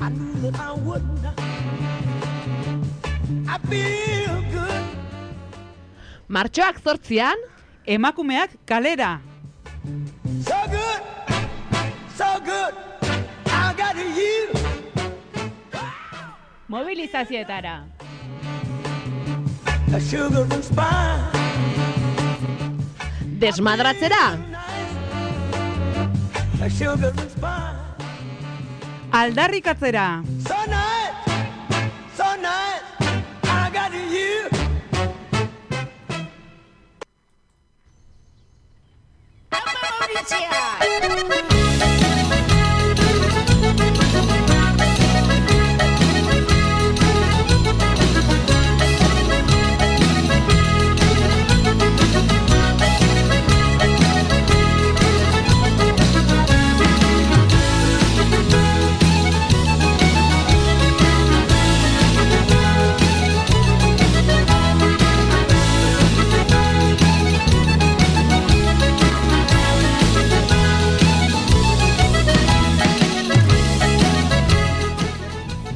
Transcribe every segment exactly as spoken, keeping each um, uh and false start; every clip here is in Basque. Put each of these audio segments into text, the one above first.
I knew that I wouldn't. I feel good. Martxoak zortzian, emakumeak kalera. So good, so good, I got you. Mobilizazioetara. A sugar and spice. desmadratzera. A sugar and spice. Aldarrikatzera. So nice, so nice, I got you.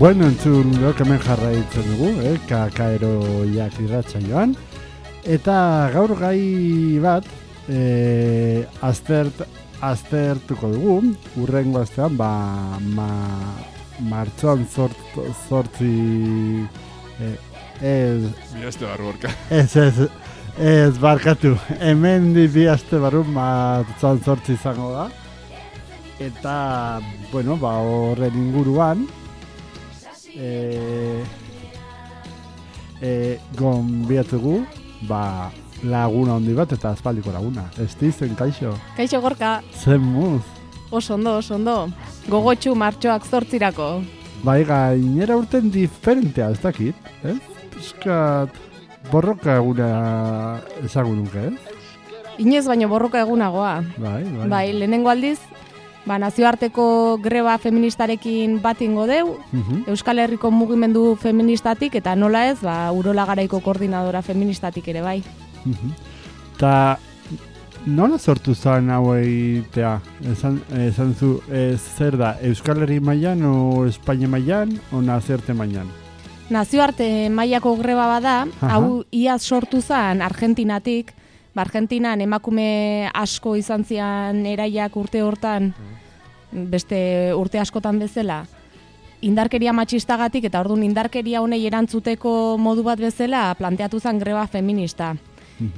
Bueno, entzun gok hemen jarraitzen dugu, eh? Kakaeroiak irratxa joan. Eta gaur gai bat eh, aztert, aztertuko dugu, urrengo astean, ba, ma, martxoan zort, zortzi... Eh, ez... Bi aste barru orka. Ez, ez, ez barkatu. Hemen di bi aste barru martxoan zortzi izango da. Eta, bueno, ba, horren inguruan, E, e, gonbiatugu ba, laguna handi bat eta aspaldiko laguna. Estizen, kaixo? Kaixo Gorka. Zen muz? Oso ondo, oso ondo. Gogotxu martxoak zortzirako. Bai, gainera urten diferentea, ez dakit, eh? Piskat borroka eguna ezagun nuke, eh? Inoez baino borroka egunagoa. Bai, bai. Bai, lehenengo aldiz, ba, nazioarteko greba feministarekin bat ingo deu, Uh-huh. Euskal Herriko mugimendu feministatik, eta nola ez, ba, Urola Garaiko koordinadora feministatik ere bai. Uh-huh. Ta nola sortu zen hau egitea? Esan, esan zu, ez zer da, Euskal Herri mailan o Espainia mailan o nazioarte mailan? Nazioarte mailako greba bada, Aha. hau iaz sortu zen Argentinatik, ba, Argentinan emakume asko izan zian eraiak urte hortan, beste urte askotan bezala, indarkeria matxistagatik eta orduan indarkeria honei erantzuteko modu bat bezala planteatu zen greba feminista.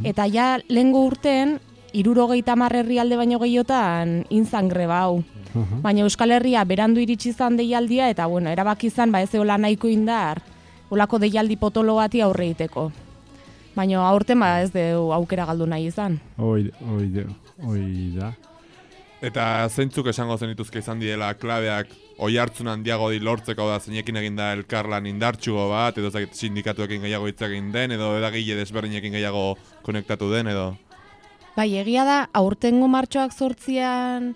Eta ja lehengo urten, hirurogeita hamar herrialde baino gehiotan inzan greba hau. Uh-huh. Baina Euskal Herria berandu iritsi izan deialdia eta bueno, erabaki izan ba ez eola nahiko indar, olako deialdi potolo bati aurre egiteko. Baina aurten ba ez du aukera galdu nahi izan. Oi, oi, oi da. Eta zeintzuk esango zenituzke izan diela klabeak oi hartzun handiago di lortzeko da zeinekin egin da elkarlan indartsugo bat, edo zakit sindikatuekin gehiago hitz egin den, edo edagile desberdinekin gehiago konektatu den, edo... Bai, egia da, aurtengo martxoak zortzian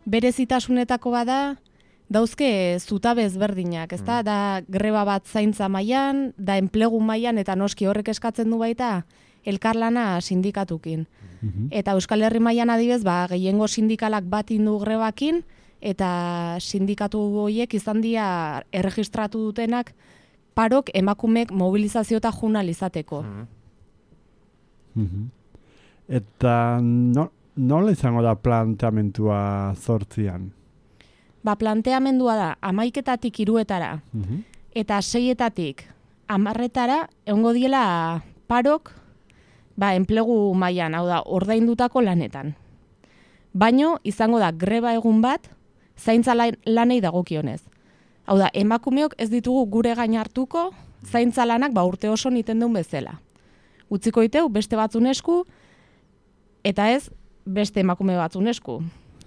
berezitasunetako bada, dauzke zutabe ezberdinak, ezta? Da greba bat zaintza mailan, da enplegu mailan eta noski horrek eskatzen du baita elkarlana sindikatukin. Uh-huh. Eta Euskal Herri mailan adibez, ba, gehiengo sindikalak bat indu grebakin, eta sindikatu horiek izan dira erregistratu dutenak parok emakumek mobilizazio eta junal izateko. Uh-huh. Eta no, nola izango da planteamentua zortzian? Ba, planteamendua da hamaiketatik hiruetara Uh-huh. eta seietatik hamarretara egongo diela parok ba, enplegu mailan, hau da, ordaindutako lanetan. Baino izango da greba egun bat zaintza lanei dagokionez. Hau da, emakumeok ez ditugu gure gain hartuko zaintza lanak ba, urte oso niten duen bezala. Utziko diteu beste batzun esku eta ez beste emakume batzun esku.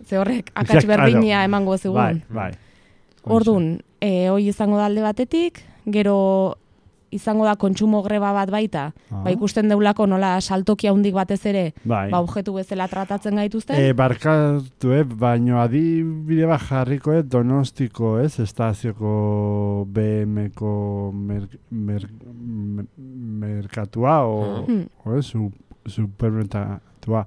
Ze horrek akats berdina emango zegoen. Bai, bai. Ordun, eh hoi izango da alde batetik, gero izango da kontsumo greba bat baita. Ah. Ba ikusten deulako nola saltoki handik batez ere, Bai. ba objektu bezala tratatzen gaituzten. E, barkatu, eh, baino adibide bat jarriko, eh, Donostiko, ez, estazioko B M-ko mer, mer, mer, merkatua, o, Hmm. o ez, su, supermerkatua.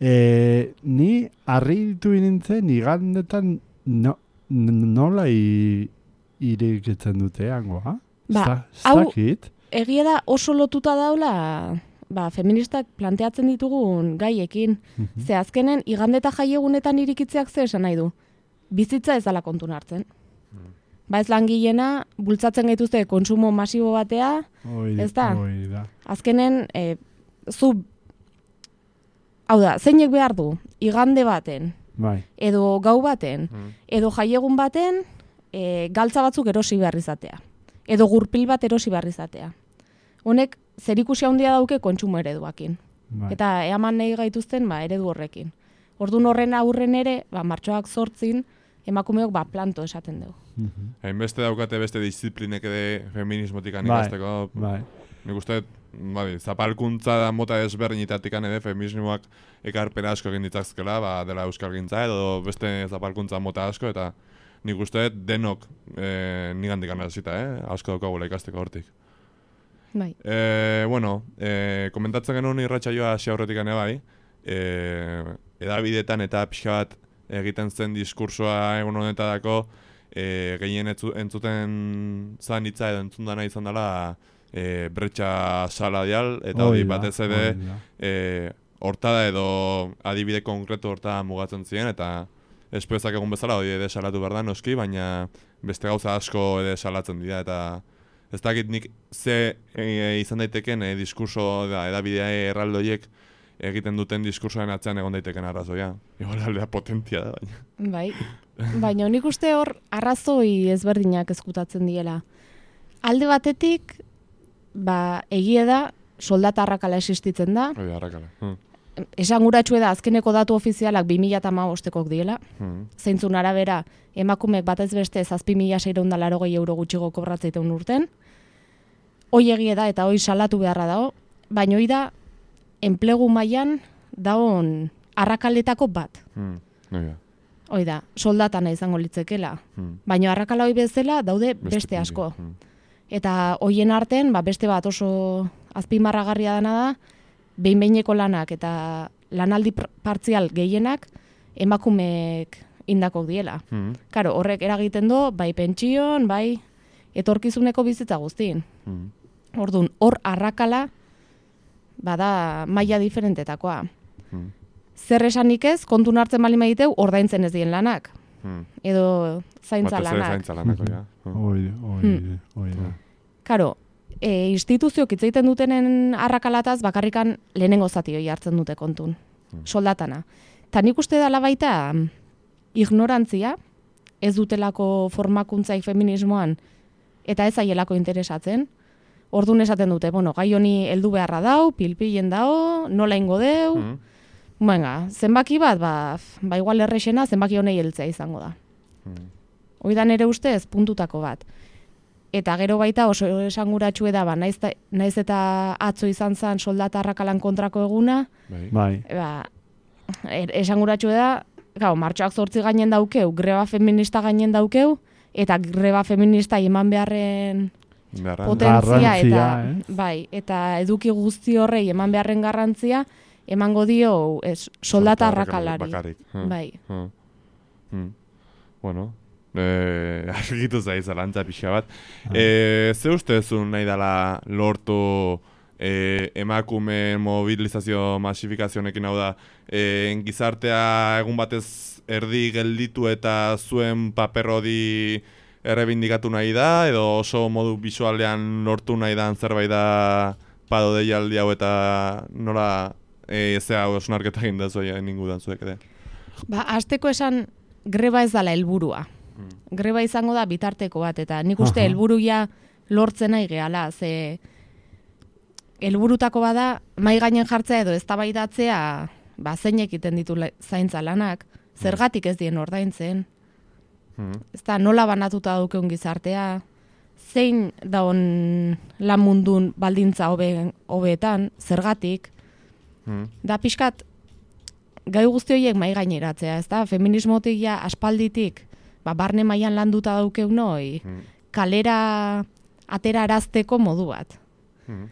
E, ni harritu nintzen, igandetan no, nola i, irekitzen dute hangoa? Ba, Ez hau- dakit. Egia da oso lotuta daula ba, feministak planteatzen ditugun gaiekin. Mhm. Ze azkenen igande eta jaiegunetan irikitzeak ze esan nahi du. Bizitza ez dala kontun hartzen. Ba ez langilena, bultzatzen gaituzte kontsumo masibo batea, Hoi- ez da? hoi da. azkenen e, zu, hau da, zeinek behar du, igande baten, Bai. edo gau baten, Mm. edo jaiegun baten, e, galtza batzuk erosi behar izatea. Edo gurpil bat erosi behar izatea. Honek zerikusi handia dauke kontsumo ereduakin. Bai. Eta eaman nahi gaituzten ba, eredu horrekin. Ordun horren aurren ere, ba, martxoak zortzin, emakumeok ba, planto esaten dugu. Mhm. Hainbeste daukate beste disiplinek ere feminismotik Bai, ikasteko. bai. Nik uste, bai, zapalkuntza da mota ezberdinetatik ere feminismoak ekarpen asko egin ditzakzkela, ba, dela euskalgintza edo beste zapalkuntza mota asko, eta nik uste denok e, nigandik anazita, eh? asko daukagula ikasteko hortik. Bai. E, bueno, e, komentatzen genuen irratsaioa hasi aurretik ere bai, e, edabidetan eta pixka bat egiten zen diskursoa egun honetadako, e, gehien etzu, entzuten zan hitza edo entzun dana izan dela e, bretxa saladial, eta hori Hoi da, batez ere hoi da. e, hortada edo adibide konkretu horta mugatzen ziren, eta espoezak egun bezala hori ere salatu behar da noski, baina beste gauza asko ere salatzen dira, eta ez dakit nik ze e, izan daiteken e, diskurso da, edabidea erraldoiek egiten duten diskursoen atzean egon daiteken arrazoia. Igual aldea potentia da, baina. Bai. Baina nik uste hor arrazoi ezberdinak ezkutatzen diela. Alde batetik, ba, egie da, soldata arrakala existitzen da. Hori arrakala. Hmm. Esanguratsu da azkeneko datu ofizialak bi mila hamabostekok diela. Hmm. Zeintzun arabera, emakumeek batez beste zazpi mila seiehun eta laurogei euro gutxigo kobratzeiten urten. Hoi egie da eta hoi salatu beharra dago, baina hoi da enplegu mailan daon arrakaletako bat. Hmm. Hori da. Hoi da, soldatana izango litzekela. Hmm. Baina arrakala hoi bezala daude beste, puntu. asko. Hmm. Eta hoien arten, ba, beste bat oso azpimarragarria dana da, behin-behineko lanak eta lanaldi pr- partzial gehienak emakumeek indakok diela. Hmm. Karo, horrek eragiten du, bai pentsioan, bai etorkizuneko bizitza guztien. Hmm. Orduan, hor arrakala, bada maila diferentetakoa. Hmm. Zer esanik ez, kontun hartzen bali maiteu, ordaintzen ez dien lanak. Hmm. Edo zaintza Batez ere lanak. zaintza lanak, hori da. Hmm. Hoi, hoi, Hmm. hoi da. Karo, e, instituzioak hitz egiten dutenen arrakalataz bakarrikan lehenengo zati hori hartzen dute kontun. Hmm. Soldatana. Ta nik uste dela baita mm, ignorantzia, ez dutelako formakuntzaik feminismoan, eta ez aielako interesatzen. Ordun esaten dute, bueno, gai honi heldu beharra dau, pilpilen dau, nola ingo deu, Hmm. venga, zenbaki bat, ba, f- ba igual errexena zenbaki honei heltzea izango da. Hmm. Hoi da nere ustez puntutako bat. Eta gero baita oso esanguratsu da, ba, naiz, ta- naiz eta atzo izan zen soldata arrakalan kontrako eguna, Bai. Bai. ba, er, esanguratsu da, gau, martxoak zortzi gainen daukeu, greba feminista gainen daukeu, eta greba feminista eman beharren Beharra. potentzia, eta, Garrantzia, eh? bai, eta eduki guzti horrei eman beharren garrantzia, emango dio ez, soldata arrakalari. Bakarrik. Hmm. Bai. Hmm. Hmm. Bueno, eh, argitu zaiz zalantza pixka bat. Eh, ze ustezun nahi dela lortu eh, emakume mobilizazio masifikazionekin, hau da, eh, gizartea egun batez erdi gelditu eta zuen paper hori errebindikatu nahi da, edo oso modu bisualean lortu nahi dan zerbait da pado deialdi hau eta nola e, zea osnarketa egin da zuek ningudan zuek ere. Ba, hasteko esan greba ez dala helburua. Hmm. Greba izango da bitarteko bat, eta nik uste Aha. helburuia lortzen nahi gehala, ze helburutako bada mai gainen jartzea edo eztabaidatzea, ba zeinek egiten ditu la- zaintza lanak, zergatik ez dien ordaintzen, Hmm. ezta nola banatuta daukeun gizartea, zein daon lan mundun baldintza hobe hobeetan, zergatik, Hmm. da pixkat gai guzti horiek mai gaineratzea, ezta? Feminismotik ja aspalditik, ba barne mailan landuta daukeu noi, Hmm. kalera atera arazteko modu bat. Hmm.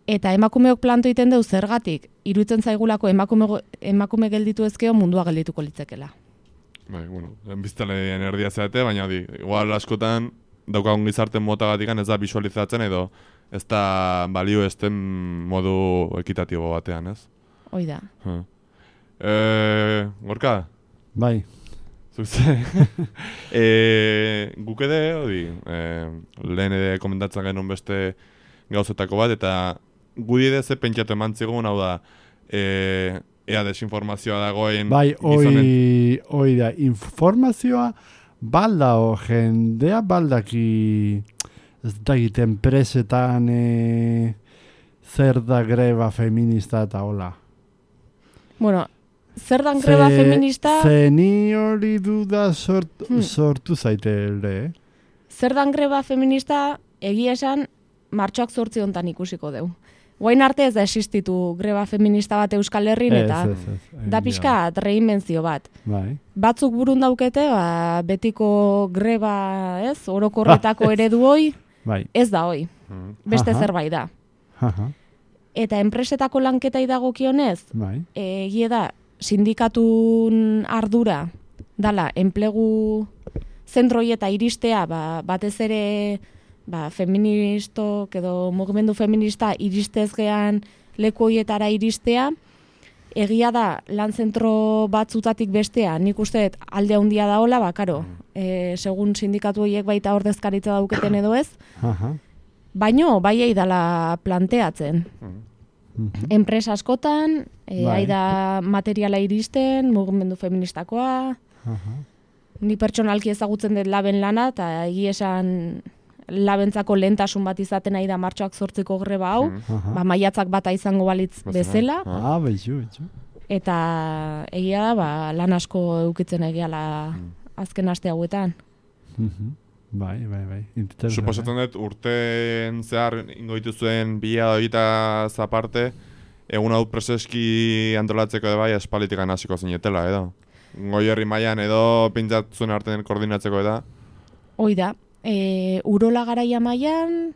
Eta emakumeok planto egiten deu zergatik, iruditzen zaigulako emakume, go- emakume gelditu ezkeo mundua geldituko litzekela. Bai, bueno, biztanleen erdia zeate, baina di, igual askotan daukagun gizarte motagatik ez da visualizatzen edo ez da balio esten modu ekitatibo batean, ez? Hoi da. Huh. E, Gorka? Bai. Zuze? e, guk ede, hori, e, lehen ere komentatzen genuen beste gauzetako bat, eta gudi ere ze pentsatu eman zigun, hau da, e, ea desinformazioa dagoen Bai, gizonen... oi, oi da, informazioa baldao, jendea baldaki ez dakit enpresetan e, zer da greba feminista eta hola. Bueno, zer dan greba feminista... Ze ni hori duda sort, Hmm. sortu zaite ere, eh? Zer dan greba feminista egia esan martxoak zortzi hontan ikusiko deu. Guain arte ez da existitu greba feminista bat Euskal Herrin eta Ez, ez, ez. da pixka reinbentzio bat. Bai. Batzuk burun daukete, ba, betiko greba, ez, orokorretako eredu hoi, Bai. ez da hoi, Mhm. beste Aha. zerbait da. Aha. Eta enpresetako lanketai dagokionez, Bai. egie da, sindikatun ardura, dala, enplegu zentroi eta iristea, ba, batez ere, ba, feministok edo mugimendu feminista iristez gean leku hoietara iristea, egia da, lan zentro batzutatik bestea, nik uste dut alde handia daola, ba, karo, e, segun sindikatu horiek baita ordezkaritza dauketen edo ez, Aha. baino, bai dala planteatzen. Mhm. Mhm. Enpresa askotan, e, Bai. da materiala iristen, mugimendu feministakoa, Aha. ni pertsonalki ezagutzen dut laben lana, eta egia esan labentzako lehentasun bat izaten nahi da martxoak zortziko greba hau, Mhm. Aha. ba, maiatzak bata izango balitz Bezala. bezala, Ah. Ah, betxu, betxu. eta egia da, ba, lan asko eukitzen egiala azken aste hauetan. Mhm. Bai, bai, bai. Interesgarria. Suposatzen dut urteen zehar ingo dituzuen bila egita zaparte, egun hau preseski antolatzeko ere bai espalitikan hasiko zinetela, edo? Goi herri mailan edo pintzatzuen artean koordinatzeko eda? Hoi da, e, urola garaia mailan,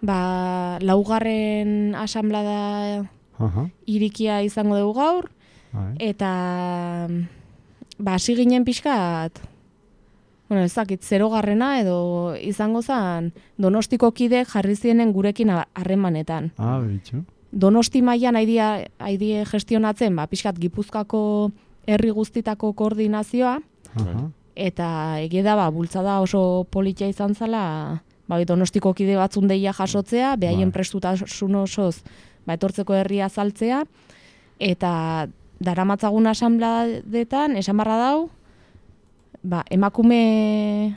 ba, laugarren asamblada Aha. irikia izango dugu gaur, Bai. eta ba, hasi ginen pixkat, bueno, ez dakit, zerogarrena edo izango zen Donostiko kide jarri zienen gurekin harremanetan. Ah, betxu. Donosti mailan haidie, haidie gestionatzen, ba, pixkat Gipuzkoako herri guztitako koordinazioa, Aha. eta egia da, ba, bultzada oso politia izan zala, ba, Donostiko kide batzun deia jasotzea, behaien Bai. prestutasun osoz, ba, etortzeko herria azaltzea, eta daramatzagun asanbladetan, esan barra dau, ba, emakume,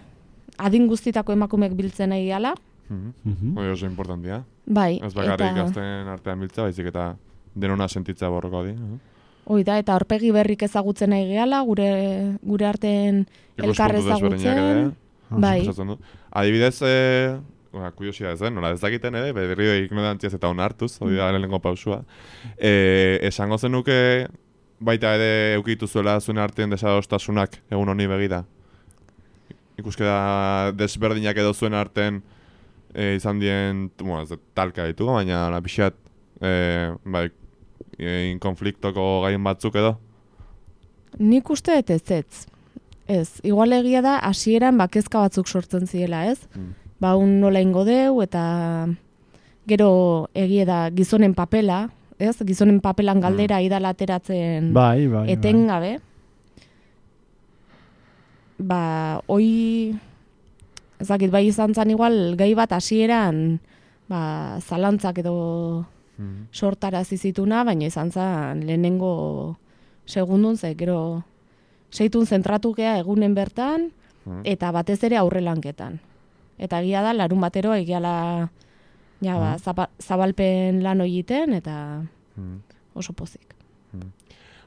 adin guztitako emakumeek biltzen egiala, Mhm. Mhm. Hori oso importantia. bai, Ez bakarrik eta, gazten artean biltza, baizik eta denona sentitza borroko di. eh? hoi da, eta aurpegi berrik ezagutzen nahi gehala, gure, gure arten elkar Ikuspuntu desberdinak ere, ezagutzen, bai, suposatzen dut. Adibidez, eh, ba, kuriosia ez, eh? Nola ez dakiten ere, berrio ignorantziaz eta onartuz, hori da lehenengo pausua. Eh, esango zenuke baita ere eukitu zuela zuen artean desadostasunak egun honi begira. Ikuske da desberdinak edo zuen artean e, izan dien, bueno, ez dut talka ditugu, baina la pixat e, bai, e, konfliktoko gaien batzuk edo. nik uste dut ez ez. Ez, igual egia da, hasieran bakezka batzuk sortzen ziela, ez? Mm. Ba, un nola ingo deu, eta gero egia da gizonen papela, ez? Gizonen papelan galdera idala ateratzen Bai, bai, bai. etengabe. Ba, hoi, ezakit, bai izan zen igual, gai bat hasieran ba, zalantzak edo Mm. sortarazi zituna, baina izan zen lehenengo segundun, ze gero seitun zentratu gea egunen bertan, Mm. eta batez ere aurrelanketan. Eta egia da, larun batero egiala ja, ba, zapa- zabalpen lan egiten, eta Mm. oso pozik.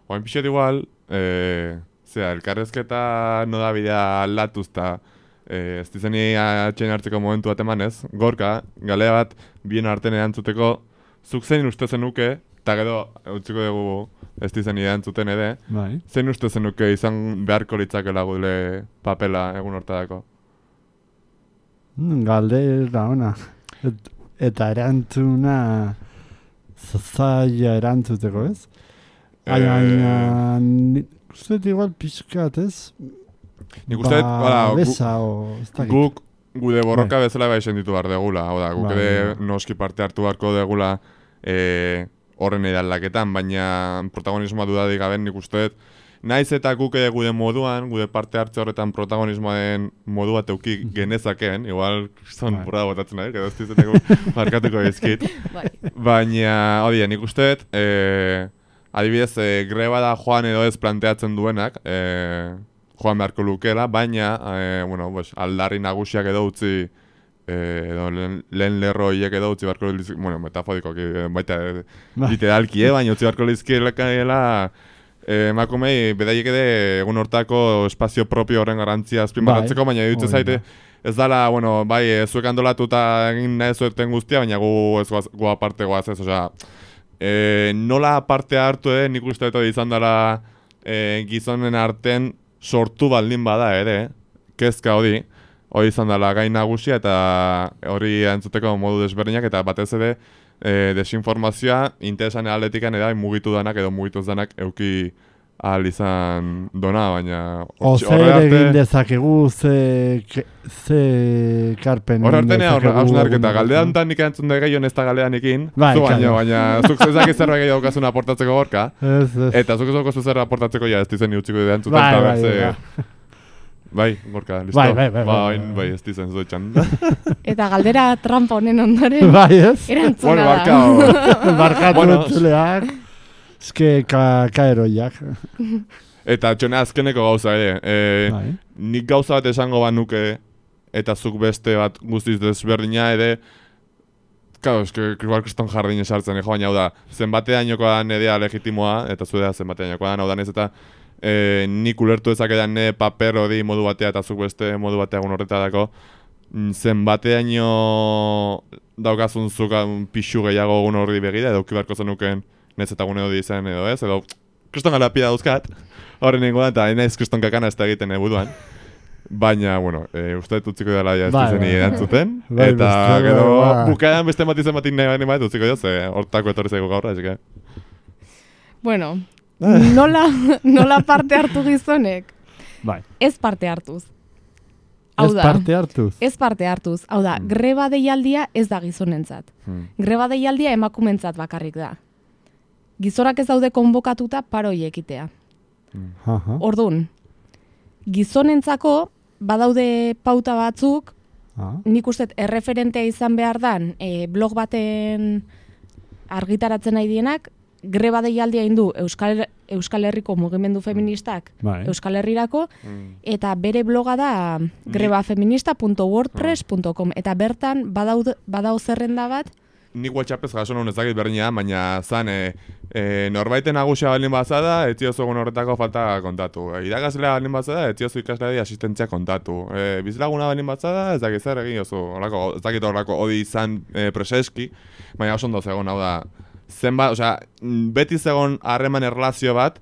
Oain pixet igual, e, zera, elkarrezketa nodabidea aldatuz eta e, ez dizeni atxein hartzeko momentu bat emanez, Gorka, galea bat bien artean erantzuteko, zuk zein uste zenuke, eta gero utziko dugu ez dizeni erantzuten ere, Bai. zein uste zenuke izan beharko litzakela gure papela egun hortadako? Mm, Galdera ona. Et, eta erantzuna zaila erantzuteko, ez? Eh. Baina, ni- uste igual pixkat, ez? Nik uste, ba, besa, o, ez dakit. guk gude borroka bezala bai ditu behar degula. Hau da, guk Bai, ere bai. noski parte hartu beharko degula e, horren edalaketan, baina protagonismoa dudadik gaben nik uste dut. Naiz eta guk ere gude moduan, gude parte hartze horretan protagonismoaren modua teuki genezakeen, igual, zon Bai. burra botatzen nahi, edo ez dizeteko markatuko ezkit. Bai. Baina, hori, nik uste dut, e, adibidez, e, greba da joan edo ez planteatzen duenak, e, joan beharko lukela, baina, e, bueno, pues, aldarri nagusiak edo utzi, e, edo lehen, lehen lerro hiek edo utzi beharko lizki, bueno, metafodiko, baita e, Bai. literalki, eh, baina utzi beharko lizkiela, e, emakumei, bedaiek ede egun hortako espazio propio horren garantzia azpimarratzeko, Bai, baina dutze hori zaite, da. ez dala, bueno, bai, e, zuek antolatuta egin nahi zueten guztia, baina gu ez goaz, gu aparte goaz ez, osea, e, nola parte hartu ere, nik uste dut izan dela e, gizonen arten sortu baldin bada ere, kezka hori, hori izan dela gai nagusia eta hori entzuteko modu desberdinak eta batez ere e, desinformazioa interesan aldetikan eda mugitu danak edo mugitu danak euki ahal izan dona, baina O hortxe- zer horre arte- egin dezakegu, ze, ke- ze karpen Horre egin artenea, dezakegu hausnarketa, egun galdera horretan. hontan nik entzun da gehiago ez da galdeanekin, Bai, zu baino, claro. baina zuk ezak zerbait gehiago daukazun aportatzeko gorka, Ez, ez. eta zuk ez daukazu zer aportatzeko ja ez dizen utziko dira entzuten, Bai, eta bai, berze- bai. Bai, gorka, listo. Bai, bai, bai, bai, Bai, bai, bai, ez dizen zoetxan. Eta galdera trampa honen ondoren, Bai, ez? erantzuna Bueno, da. barkao. Barkatu Bueno, entzuleak. Eske ka, kaeroiak. Eta txone azkeneko gauza ere, e, Bai. nik gauza bat esango banuke, eta zuk beste bat guztiz desberdina ere, claro, eske igual kriston jardin esartzen, jo, baina hau da, zenbateainoko da nedea legitimoa, eta zuedea zenbateainoko da, hau da, nez eta e, nik ulertu ezakedan ne paper hori modu batea eta zuk beste modu batea egun horretadako, mm, zenbateaino daukazun zuk um, pixu gehiago egun horri begira, edo uki beharko zenuken nez eta gune hori izan edo ez, edo kriston galapia dauzkat, horren ingoan, eta naiz kriston kakana ez da egiten ebuduan. Baina, bueno, e, uste dut utziko dela ja ez Bai, dizeni bai. erantzuten. Bai, Eta beste, gero bai. bukaeran beste bat izan batik nahi bani bat utziko jo, ze hortako etorri zaigu gaur, así que... Bueno, nola, nola parte hartu gizonek? Bai. Ez parte hartuz. Hau Ez da, parte hartuz. ez parte hartuz. Hau da, greba deialdia ez da gizonentzat. Hmm. Greba deialdia emakumentzat bakarrik da. Gizonak ez daude konbokatuta paroi ekitea. Aha. Ordun, gizonentzako badaude pauta batzuk, Ah. nik uste erreferentea izan behar dan e, blog baten argitaratzen nahi dienak, greba deialdia indu Euskal, Euskal Herriko mugimendu feministak Bai. Euskal Herrirako, Mm. eta bere bloga da grebafeminista punto wordpress punto com, eta bertan badaud, badau zerrenda bat, Nik WhatsAppez jaso non ezakit berdina, baina zan, e, e, norbaiten nagusia baldin bazada, ez ziozu egun horretako falta kontatu. E, irakaslea baldin bazada, ez ziozu ikasleari asistentzia kontatu. E, bizilaguna baldin bazada, ez dakit zer egin oso, horako, ez dakit horrako hodi izan e, preseski, baina oso ondo zegoen, hau da, zenbat, osea, beti zegoen harreman erlazio bat,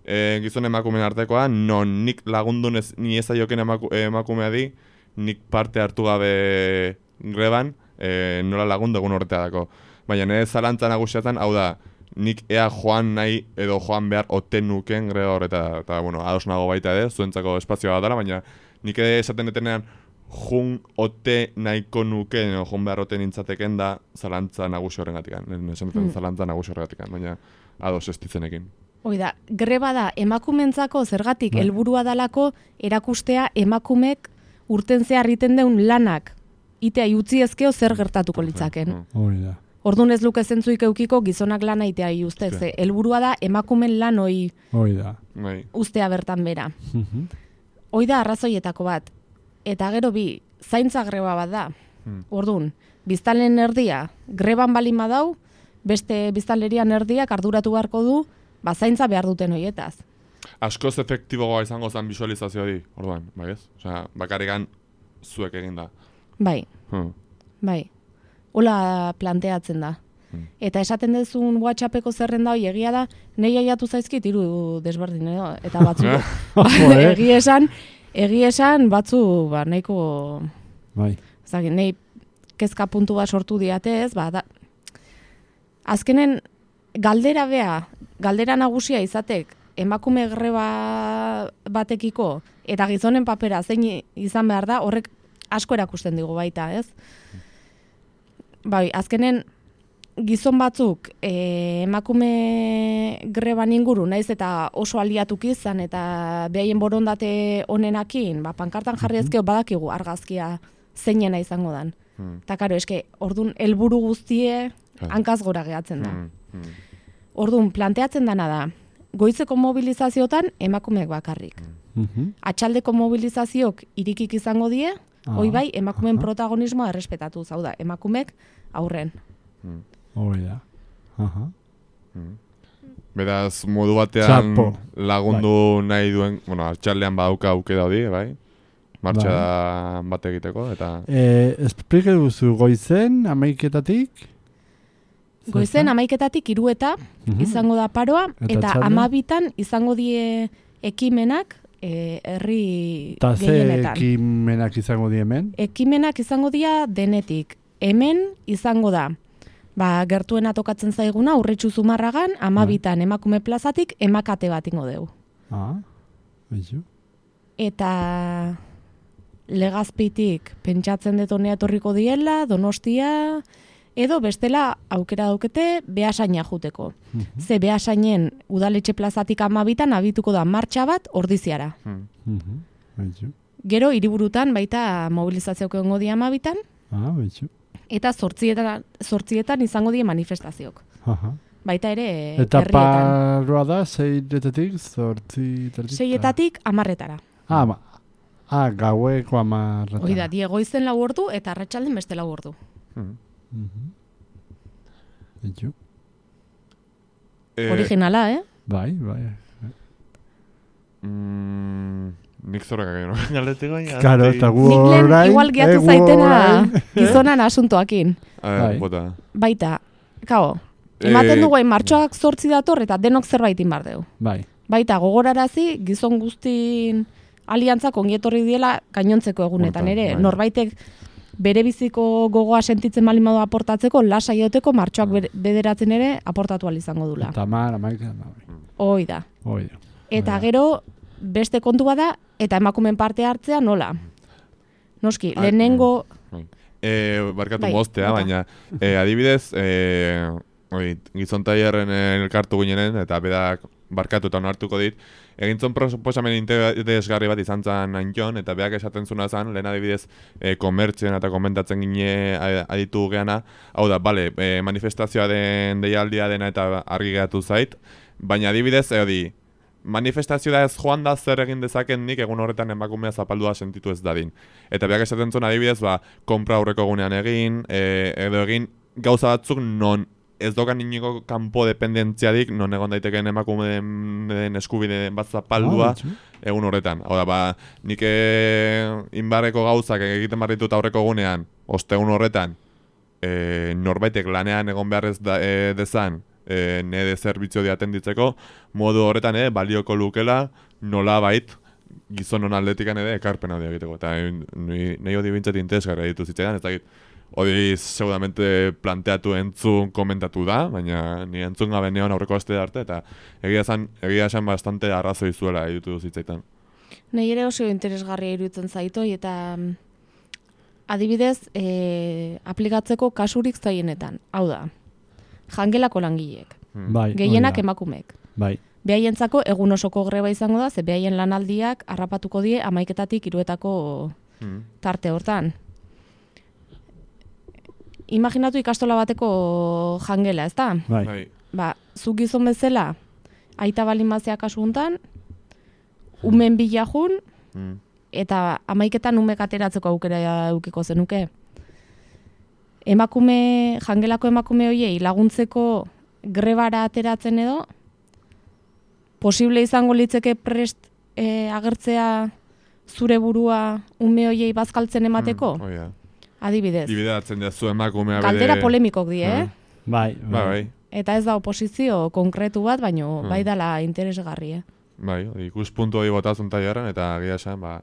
e, gizon emakumeen artekoa, non nik lagundun ez, ni ez aioken emaku, emakumea di, nik parte hartu gabe greban, e, nola lagundu egun horretarako. Baina nire zalantza nagusiatan, hau da, nik ea joan nahi edo joan behar oten nuken greba horreta, eta, bueno, ados nago baita ere, zuentzako espazioa dela, baina nik ere esaten detenean, jun ote nahiko nuken, edo jun behar ote nintzateken da zalantza nagusi horregatikan, esan duten Hmm. zalantza nagusi horregatikan, baina ados ez ditzenekin. hoi da, greba da emakumentzako zergatik Bai. helburua dalako erakustea emakumek urten zehar egiten deun lanak itea utzi ezkeo zer gertatuko litzaken. Mm. Hori da. Orduan ez luke zentzuik eukiko gizonak lana itea uzte, Eske. ze helburua da emakumen lan hoi Hori da. Bai. uztea bertan bera. Mhm. Hoi da arrazoietako bat. Eta gero bi, zaintza greba bat da. Hmm. Orduan, biztanleen erdia greban balin badau, beste biztanlerian erdiak arduratu beharko du, ba zaintza behar duten hoietaz. Askoz efektiboa izango zen visualizazio hori, orduan, bai ez? Osea, bakarrikan zuek egin da. Bai, Hmm. bai. Hola planteatzen da. Hmm. Eta esaten dezun WhatsAppeko zerrenda hoi egia da, nei aiatu zaizkit hiru desberdin edo, eta batzu Joder. egia esan, egia esan batzu ba nahiko Bai. ezagik, nei kezka puntu bat sortu diate ez, ba da, azkenen galdera bea, galdera nagusia izatek emakume greba batekiko eta gizonen papera zein izan behar da, horrek asko erakusten digu baita, ez? Bai, azkenen gizon batzuk e, emakume greban inguru, naiz eta oso aliatuk izan eta behaien borondate honenakin, ba, pankartan jarri ezkeo badakigu argazkia zeinena izango dan. Hmm. Eta karo, eske, ordun helburu guztie hankaz gora gehatzen da. Hmm. Hmm. Ordun planteatzen dana da, goizeko mobilizaziotan emakumeek bakarrik. Mhm. Atxaldeko mobilizazioak irikik izango die, Ah, hoi bai, emakumeen aha. protagonismoa errespetatu, zau da, emakumeek aurren. Hmm. Hoi da. Aha. Hmm. Beraz, modu batean Txapo. lagundu nahi duen, bueno, altxaldean badauka aukera hori, bai? Martxa bat egiteko, eta... Eh, esplike duzu goizen, amaiketatik? Goizen amaiketatik hiru eta Mhm. izango da paroa, Eta eta txalde? amabitan izango die ekimenak eh, herri Ta ze gehienetan. ekimenak izango di hemen? Ekimenak izango dira denetik. Hemen izango da, ba, gertuena tokatzen zaiguna, Urritxu Zumarragan, amabitan emakume plazatik emakate bat ingo deu. Ah, beizu. Eta Legazpitik pentsatzen dut honea etorriko diela, Donostia, edo bestela aukera daukete Beasaina juteko. Mhm. Ze Beasainen udaletxe plazatik amabitan abituko da martxa bat ordiziara. Hmm. Mhm. Beizu. Gero hiriburutan baita mobilizazioak egongo di amabitan, Ah, beizu. eta zortzietan, zortzietan izango die manifestazioak. Aha. Baita ere Eta herrietan. paroa da, zeiretetik, zortzi... terdik? Seietatik amarretara. Ah, ma, ah, gaueko amarretan. Hoi da, diegoizen lau ordu eta arratsalden beste lau ordu. Hmm. Mhm. Beizu. Eh, Originala, eh? Bai, bai. Mm, nik zorreka gero galetiko baina... Karo, eta gu Nik lehen orain... igual gehiatu eh, gu zaitena orain, eh? gizonan asuntoakin. A Bai. ver, bota. Baita, kao, ematen Eh, dugu hain martxoak zortzi dator eta denok zerbaitin bar deu. Bai. Baita, gogorarazi, gizon guztin aliantzak ongietorri diela gainontzeko egunetan Hortan, ere. bai. Norbaitek bere biziko gogoa sentitzen bali modu aportatzeko, lasa joteko martxoak ber- bederatzen ere aportatu ahal izango dula. Eta mar, amaiketan da. bai. Hoi da. Hoi da. Eta Hoi da. gero, beste kontu bada, eta emakumen parte hartzea nola. Noski, Ah, lehenengo... Eh, barkatu Bai, moztea, bota. baina eh, adibidez, eh, oi, gizon tailerren elkartu ginenen, eta bedak barkatu eta onartuko dit, egintzon proposamen interesgarri bat izan zen Antion, eta beak esaten zuna zen, lehen adibidez, eh, komertzioen eta komentatzen gine a- aditu geana, hau da, bale, eh, manifestazioa den deialdia dena eta argi geratu zait, baina adibidez, eodi, manifestazioa ez joan da zer egin dezaken nik egun horretan emakumea zapaldua sentitu ez dadin. Eta beak esaten zuen adibidez, ba, konpra aurreko egunean egin, e, edo egin gauza batzuk non ez dokan iniko kanpo dependentziadik, non egon daitekeen emakumeen eskubideen bat zapaldua Ah, beizu. egun horretan. Hau da, ba, nik e, inbarreko gauzak egiten barritut aurreko egunean, ostegun horretan, e, norbaitek lanean egon beharrez da, e, dezan, e, nede zerbitzio diaten ditzeko, modu horretan ere balioko lukela nola bait gizonon atletikan ere ekarpena hori egiteko. Eta e, nahi hori bintzat interesgarria ditu zitzaidan, ez dakit, hori seguramente planteatu entzun komentatu da, baina ni entzun gabe neon aurreko aste arte, eta egia esan, egia esan bastante arrazoi zuela ditu zitzaitan. Nei ere oso interesgarria iruditzen zaitoi eta mm, adibidez e, aplikatzeko kasurik zaienetan. Hau da, jangelako langileek, Hmm. Bai, gehienak hoi da. emakumeek. Bai. Behaientzako egun osoko greba izango da, ze behaien lanaldiak harrapatuko die amaiketatik hiruetako Hmm. tarte hortan. Imaginatu ikastola bateko jangela, ezta? Bai. Bai. Ba, zuk gizon bezala, aita balin mazea kasu hontan, umen bila jun, Hmm. eta amaiketan umek ateratzeko aukera eukiko zenuke. Emakume, jangelako emakume hoiei laguntzeko grebara ateratzen edo, posible izango litzeke prest e, agertzea zure burua ume hoiei bazkaltzen emateko? Hmm. Hoi da. Adibidez. Bideratzen jazu emakumea Galdera polemikok die, eh? Bai, Bai, bai. Eta ez da oposizio konkretu bat, baino Hmm. bai dala interesgarri, eh? Bai, hori ikuspuntu hori botazun tailerren, eta egia esan, ba,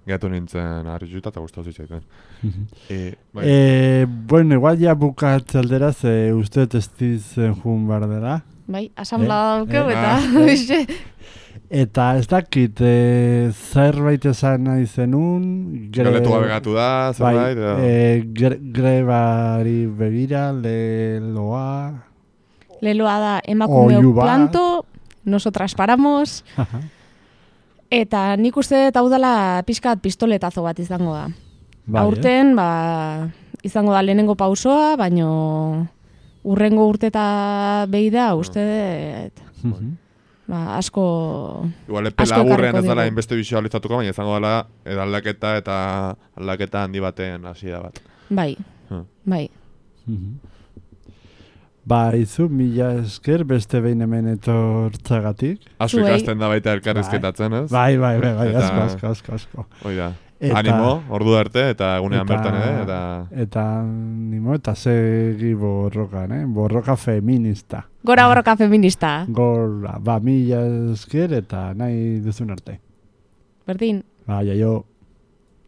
gehatu nintzen harrituta eta gustatu zitzaiten. e, bai. Eh, bueno, igual ja bukatze aldera, ze uste ez dizen jun behar dela. Bai, asamblea Eh, daukeu, eh, eta... ah, hoxe. Eta ez dakit, e, zerbait esan nahi zenun, gre- Galetua begatu da, bai, zerbait, edo... e, gre- grebari begira, leloa... Leloa da emakumeok Oihu bat. planto, nosotras paramos, eta nik uste dut hau dela pixkat pistoletazo bat izango da. Bai, Aurten, ba, izango da lehenengo pausoa, baino urrengo urteta behi da, uste dut, Mhm. ba, asko... Igual epe asko laburrean ekarriko ez dela digu. inbeste visualizatuko, baina izango dela edo aldaketa eta aldaketa handi baten hasiera bat. Bai, Hmm. bai. Mhm. Ba, izu, mila esker beste behin hemen etortzagatik. Asko Zuei. ikasten da baita elkarrizketatzen, ez? Bai, bai, bai, bai, Eta- asko, asko, asko, asko. Hoi da. Eta- Animo, ordu arte, eta egunean Eta- bertan ere, eta... Eta, nimo, eta segi borrokan, eh? Borroka feminista. Gora borroka feminista. Gora, ba, mila esker eta nahi duzun arte. Berdin. Ba, jaio.